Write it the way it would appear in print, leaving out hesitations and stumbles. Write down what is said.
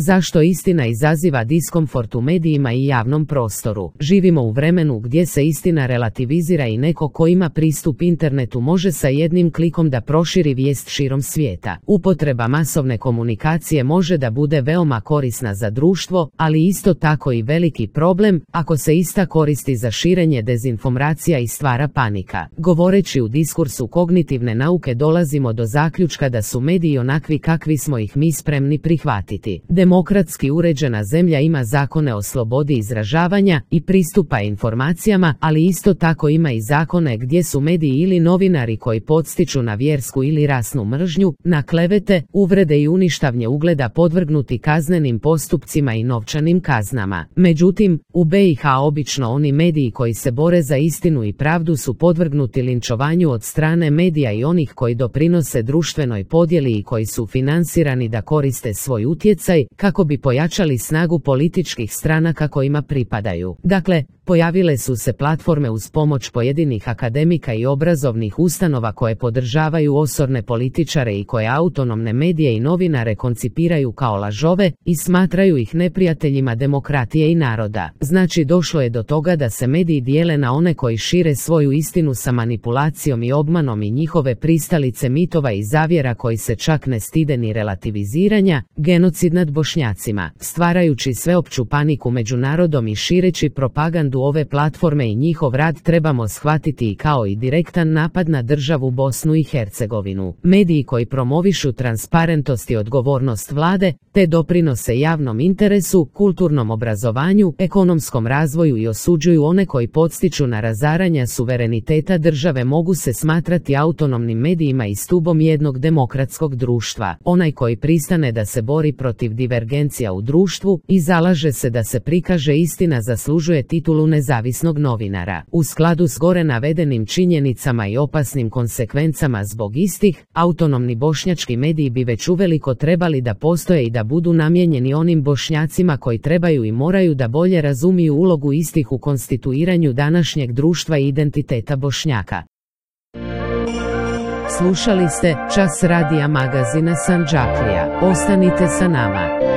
Zašto istina izaziva diskomfort u medijima i javnom prostoru? Živimo u vremenu gdje se istina relativizira i neko ko ima pristup internetu može sa jednim klikom da proširi vijest širom svijeta. Upotreba masovne komunikacije može da bude veoma korisna za društvo, ali isto tako i veliki problem ako se ista koristi za širenje dezinformacija i stvara panika. Govoreći u diskursu kognitivne nauke dolazimo do zaključka da su mediji onakvi kakvi smo ih mi spremni prihvatiti. Demokratski uređena zemlja ima zakone o slobodi izražavanja i pristupa informacijama, ali isto tako ima i zakone gdje su mediji ili novinari koji podstiču na vjersku ili rasnu mržnju, na klevete, uvrede i uništavanje ugleda podvrgnuti kaznenim postupcima i novčanim kaznama. Međutim, u BiH obično oni mediji koji se bore za istinu i pravdu su podvrgnuti linčovanju od strane medija i onih koji doprinose društvenoj podjeli i koji su finansirani da koriste svoj utjecaj kako bi pojačali snagu političkih stranaka kojima pripadaju. Dakle, pojavile su se platforme uz pomoć pojedinih akademika i obrazovnih ustanova koje podržavaju osorne političare i koje autonomne medije i novinare koncipiraju kao lažove i smatraju ih neprijateljima demokratije i naroda. Znači došlo je do toga da se mediji dijele na one koji šire svoju istinu sa manipulacijom i obmanom i njihove pristalice mitova i zavjera koji se čak ne stide ni relativiziranja, genocid nad Bošnjacima, stvarajući sveopću paniku među narodom i šireći propagandu ove platforme i njihov rad trebamo shvatiti i kao i direktan napad na državu Bosnu i Hercegovinu. Mediji koji promovišu transparentnost i odgovornost vlade, te doprinose javnom interesu, kulturnom obrazovanju, ekonomskom razvoju i osuđuju one koji podstiču na razaranja suvereniteta države mogu se smatrati autonomnim medijima i stubom jednog demokratskog društva. Onaj koji pristane da se bori protiv divergencija u društvu i zalaže se da se prikaže istina zaslužuje titulu nezavisnog novinara. U skladu s gore navedenim činjenicama i opasnim konsekvencama zbog istih, autonomni bošnjački mediji bi već uveliko trebali da postoje i da budu namijenjeni onim Bošnjacima koji trebaju i moraju da bolje razumiju ulogu istih u konstituiranju današnjeg društva i identiteta Bošnjaka. Slušali ste Čas radija magazina Sandžaklija. Ostanite sa nama.